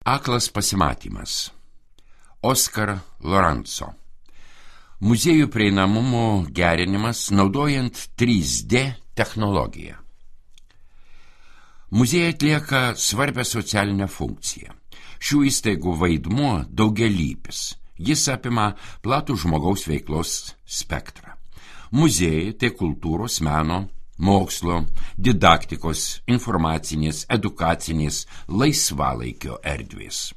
Aklas pasimatymas. Oskar Lorenzo. Muziejų prieinamumo gerinimas naudojant 3D technologiją. Muziejai atlieka svarbią socialinę funkciją. Šių įstaigų vaidmuo daugialypis. Jis apima platų žmogaus veiklos spektrą. Muziejai tai kultūros, meno, mokslo, didaktikos, informacinės, edukacinės, laisvalaikio erdvės.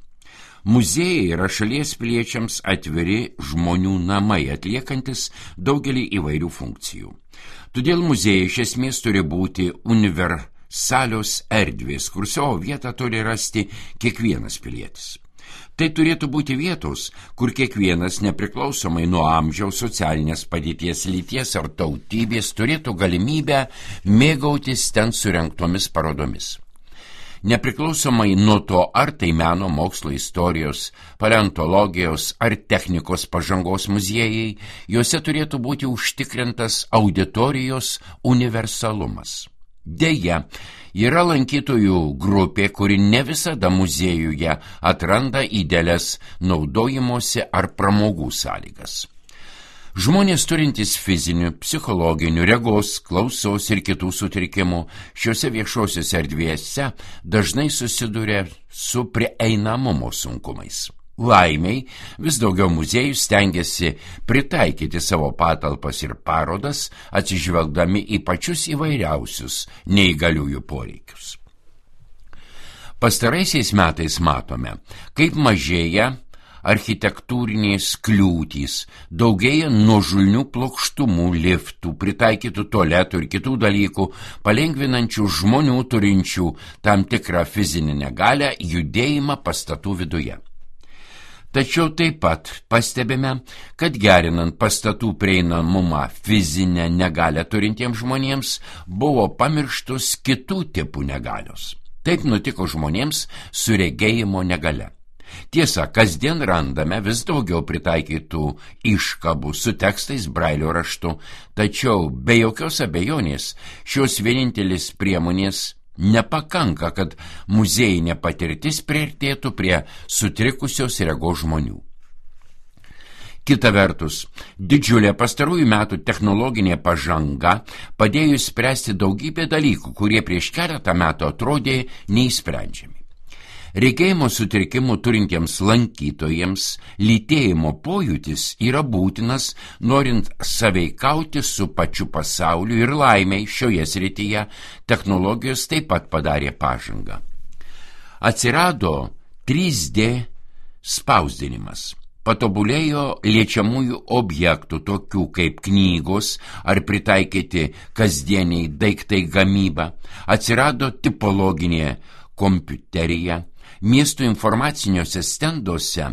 Muziejai yra šalies piliečiams atviri žmonių namai, atliekantis daugelį įvairių funkcijų. Todėl muziejai iš esmės turi būti universalios erdvės, kur savo vietą turi rasti kiekvienas pilietis. Tai turėtų būti vietos, kur kiekvienas, nepriklausomai nuo amžiaus, socialinės padėties, lyties ar tautybės, turėtų galimybę mėgautis ten surengtomis parodomis. Nepriklausomai nuo to, ar tai meno, mokslo, istorijos, paleontologijos ar technikos pažangos muziejai, juose turėtų būti užtikrintas auditorijos universalumas. Deja, yra lankytojų grupė, kuri ne visada muziejuje atranda idealias naudojimosi ar pramogų sąlygas. Žmonės turintys fizinių, psichologinių, regos, klausos ir kitų sutrikimų šiuose viešosiuose erdvėse dažnai susiduria su prieinamumo sunkumais. Laimiai, vis daugiau muziejų stengiasi pritaikyti savo patalpas ir parodas, atsižvelgdami į pačius įvairiausius neįgaliųjų poreikius. Pastaraisiais metais matome, kaip mažėja architektūrinės kliūtys, daugėja nuožulnių plokštumų, liftų, pritaikytų tualetų ir kitų dalykų, palengvinančių žmonių turinčių tam tikrą fizinę negalią judėjimą pastatų viduje. Tačiau taip pat pastebime, kad gerinant pastatų prieinamumą fizinę negalią turintiems žmonėms buvo pamirštos kitų tipų negalios. Taip nutiko žmonėms su regėjimo negalia. Tiesa, kasdien randame vis daugiau pritaikytų iškabų su tekstais brailio raštu, tačiau be jokios abejonės šios vienintelis priemonės nepakanka, kad muziejinė patirtis priartėtų prie sutrikusios regos žmonių. Kita vertus, didžiulė pastarųjų metų technologinė pažanga padėjo spręsti daugybę dalykų, kurie prieš keletą metų atrodė neįsprendžiami. Regėjimo sutrikimų turintiems lankytojams lytėjimo pojūtis yra būtinas, norint sąveikauti su pačiu pasauliu ir laimiai šioje srityje technologijos taip pat padarė pažangą. Atsirado 3D spausdinimas. Patobulėjo liečiamųjų objektų, tokių kaip knygos ar pritaikyti kasdieniai daiktai gamyba. Atsirado tipologinė kompiuterija. Miestų informaciniuose stenduose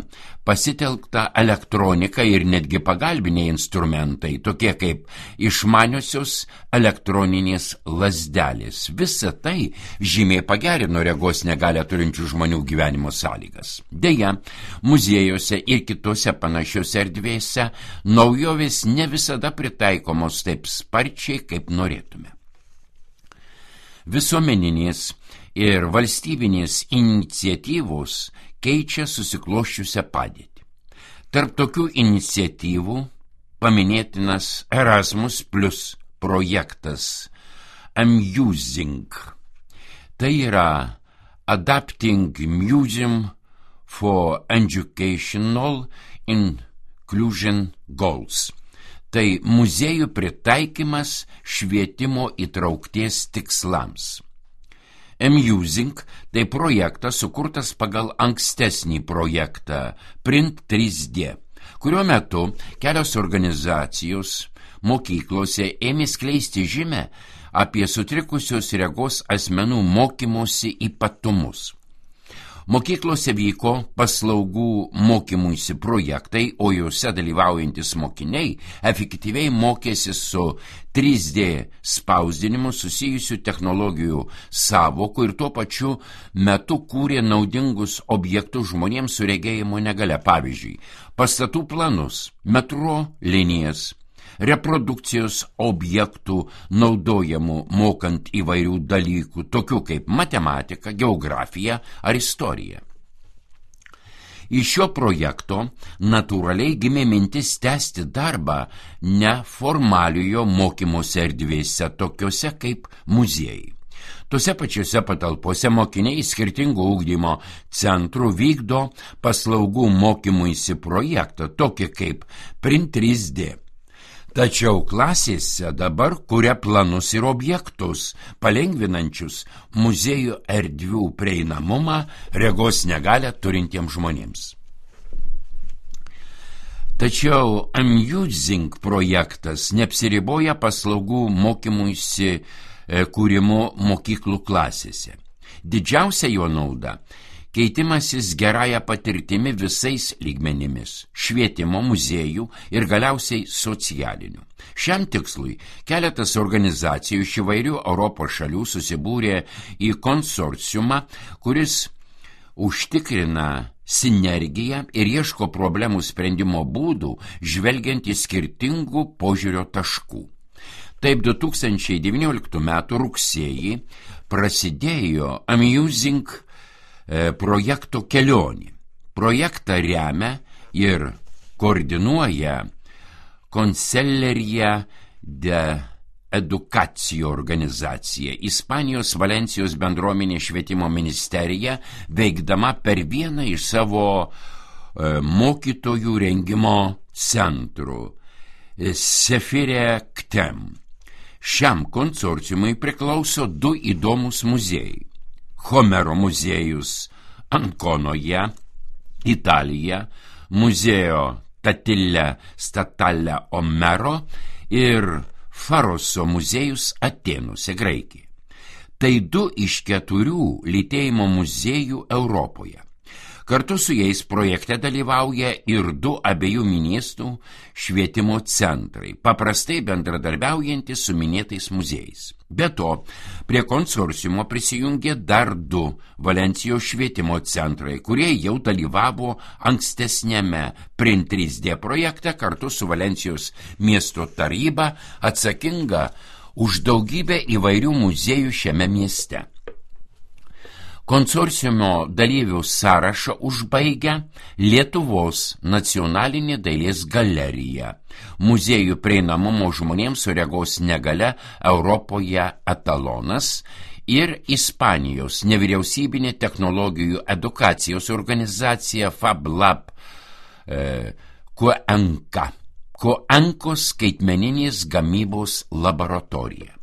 pasitelkta elektronika ir netgi pagalbiniai instrumentai, tokie kaip išmaniosios elektroninės lazdelės. Visa tai žymiai pagerino regos negalią turinčių žmonių gyvenimo sąlygas. Deja, muziejuose ir kitose panašiose erdvėse naujovės ne visada pritaikomos taip sparčiai, kaip norėtume. Visuomeninės ir valstybinės iniciatyvos keičia susiklosčiusią padėtį. Tarp tokių iniciatyvų paminėtinas Erasmus Plus projektas Amusing. Tai yra Adapting Museum for Educational Inclusion Goals. Tai muziejų pritaikymas švietimo įtraukties tikslams. Amusing tai projektas sukurtas pagal ankstesnį projektą Print 3D, kurio metu kelios organizacijos mokyklose ėmė skleisti žinią apie sutrikusios regos asmenų mokymosi ypatumus. Mokyklose vyko paslaugų mokymuisi projektai, o juose dalyvaujantis mokiniai efektyviai mokėsi su 3D spausdinimu susijusių technologijų sąvokų ir tuo pačiu metu kūrė naudingus objektus žmonėms su regėjimo negalia, pavyzdžiui, pastatų planus, metro linijas, reprodukcijos objektų naudojamų mokant įvairių dalykų, tokių kaip matematika, geografija ar istorija. Iš šio projekto natūraliai gimė mintis tęsti darbą neformaliojo mokymosi erdvėse, tokiuose kaip muziejai. Tose pačiose patalpose mokiniai skirtingų ugdymo centrų vykdo paslaugų mokymuisi projektą, tokį kaip Print 3D. Tačiau klasėse dabar kuria planus ir objektus, palengvinančius muziejų erdvių prieinamumą regos negalią turintiems žmonėms. Tačiau Amusing projektas neapsiriboja paslaugų mokymuisi kūrimo mokyklų klasėse. Didžiausia jo nauda – keitimasis gerąją patirtimi visais lygmenimis – švietimo, muziejų ir galiausiai socialinių. Šiam tikslui keletas organizacijų iš įvairių Europos šalių susibūrė į konsorciumą, kuris užtikrina sinergiją ir ieško problemų sprendimo būdų, žvelgiant į skirtingų požiūrio taškų. Taip 2019 m. rugsėjį prasidėjo Amusing projekto kelionė. Projektą remia ir koordinuoja Conselleria de Educació organizacija, Ispanijos Valencijos bendruomenės švietimo ministerija, veikdama per vieną iš savo mokytojų rengimo centrų Sefire Ktem. Šiam konsorciumui priklauso du įdomus muziejai. Homero muziejus Ankonoje, Italija, Museo Tatile Statale Omero ir Faroso muziejus Atėnuose, Graikija. Tai du iš 4 lytėjimo muziejų Europoje. Kartu su jais projekte dalyvauja ir 2 abiejų miestų švietimo centrai, paprastai bendradarbiaujantys su minėtais muziejais. Be to, prie konsorciumo prisijungė dar 2 Valencijos švietimo centrai, kurie jau dalyvavo ankstesniame Print 3D projekte kartu su Valencijos miesto taryba, atsakinga už daugybę įvairių muziejų šiame mieste. Konsorciumo dalyvių sąrašą užbaigia Lietuvos nacionalinė dailės galerija, muziejų prieinamumo žmonėms su regos negalia Europoje etalonas ir Ispanijos nevyriausybinė technologijų edukacijos organizacija FabLab Cuencos skaitmeninės gamybos laboratorija.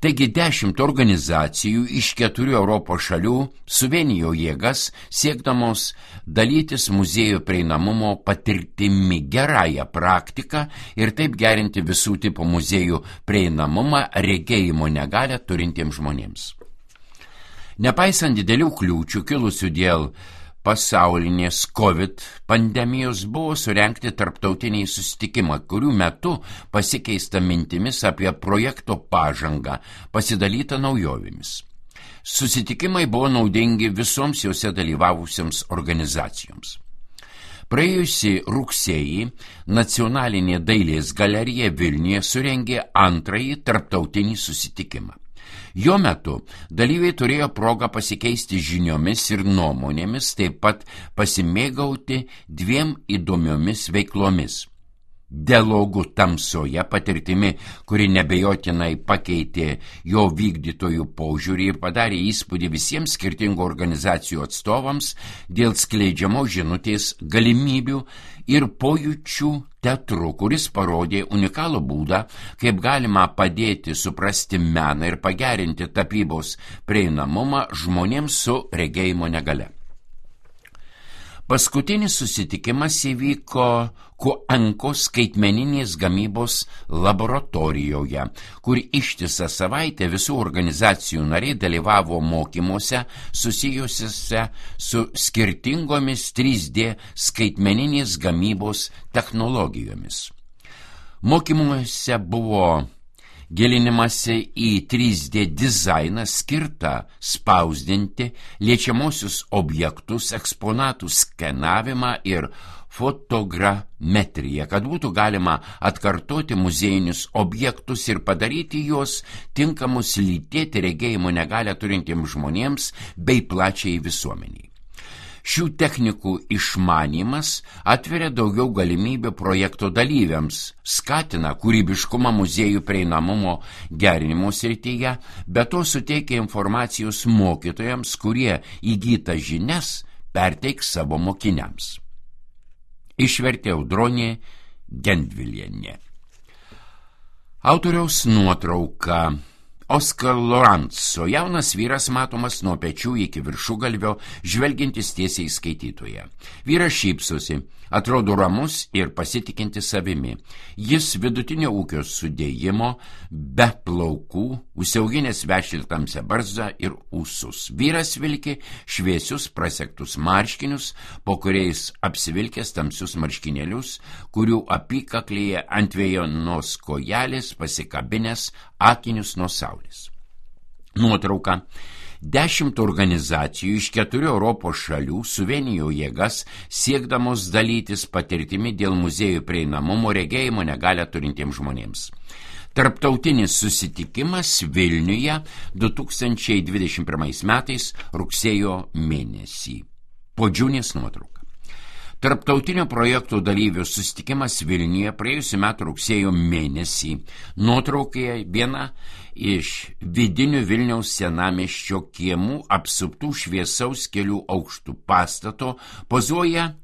Taigi 10 organizacijų iš 4 Europos šalių suvienijo jėgas siekdamos dalytis muziejų prieinamumo patirtimi, gerąją praktiką ir taip gerinti visų tipų muziejų prieinamumą regėjimo negalią turintiems žmonėms. Nepaisant didelių kliūčių kilusių dėl pasaulinės COVID pandemijos, buvo surengti tarptautiniai susitikimai, kurių metu pasikeista mintimis apie projekto pažangą, pasidalyta naujovėmis. Susitikimai buvo naudingi visoms juose dalyvavusiams organizacijoms. Praėjusį rugsėjį Nacionalinė dailės galerija Vilniuje surengė 2. tarptautinį susitikimą. Jo metu dalyviai turėjo progą pasikeisti žiniomis ir nuomonėmis, taip pat pasimėgauti 2 įdomiomis veiklomis. Dialogų tamsoje patirtimi, kuri nebejotinai pakeitė jo vykdytojų požiūrį ir padarė įspūdį visiems skirtingų organizacijų atstovams dėl skleidžiamos žinutės galimybių, ir pojūčių teatru, kuris parodė unikalų būdą, kaip galima padėti suprasti meną ir pagerinti tapybos prieinamumą žmonėms su regėjimo negalia. Paskutinis susitikimas įvyko Cuencos skaitmeninės gamybos laboratorijoje, kur ištisą savaitę visų organizacijų nariai dalyvavo mokymuose susijusiuose su skirtingomis 3D skaitmeninės gamybos technologijomis. Mokymuose buvo gilinimasi į 3D dizainą skirtą spausdinti, liečiamosius objektus, eksponatų skenavimą ir fotogrametriją, kad būtų galima atkartoti muziejinius objektus ir padaryti juos tinkamus lytėti regėjimo negalią turintiems žmonėms bei plačiai visuomeniai. Šių technikų išmanymas atveria daugiau galimybių projekto dalyviams, skatina kūrybiškumą muziejų prieinamumo gerinimo srityje, bet to suteikia informacijos mokytojams, kurie įgytas žinias perteiks savo mokiniams. Išvertė Audronė Gendvilienė. Autoriaus nuotrauka. Oskar Lorenzo, jaunas vyras matomas nuo pečių iki viršugalvio, žvelgiantis tiesiai į skaitytoją. Vyras šypsosi, atrodo ramus ir pasitikinti savimi. Jis vidutinio ūgio sudėjimo, be plaukų, užsiauginęs vešlią tamsią barzdą ir ūsus. Vyras vilki šviesius prasektus marškinius, po kuriais apsivilkęs tamsius marškinėlius, kurių apykaklėje ant vėjonos kojelės pasikabinęs akinius nuo saulės. Nuotrauka. 10 organizacijų iš 4 Europos šalių suvienijo jėgas siekdamos dalytis patirtimi dėl muziejų prieinamumo regėjimo negalią turintiems žmonėms. Tarptautinis susitikimas Vilniuje 2021 metais rugsėjo mėnesį. Podžiūnės nuotrauka. Tarptautinio projekto dalyvių susitikimas Vilniuje praėjusiu metu rugsėjo mėnesį. Nuotraukoje viena iš vidinių Vilniaus senamiesčio kiemų apsuptų šviesaus kelių aukštų pastato pozuoja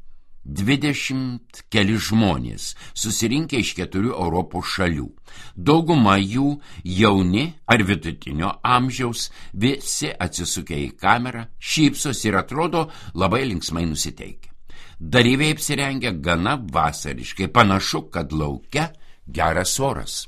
20 keli žmonės, susirinkę iš 4 Europos šalių. Dauguma jų jauni ar vidutinio amžiaus, visi atsisukę į kamerą, šypsosi ir atrodo labai linksmai nusiteikę. Dalyviai apsirengia gana vasariškai, panašu, kad lauke geras oras.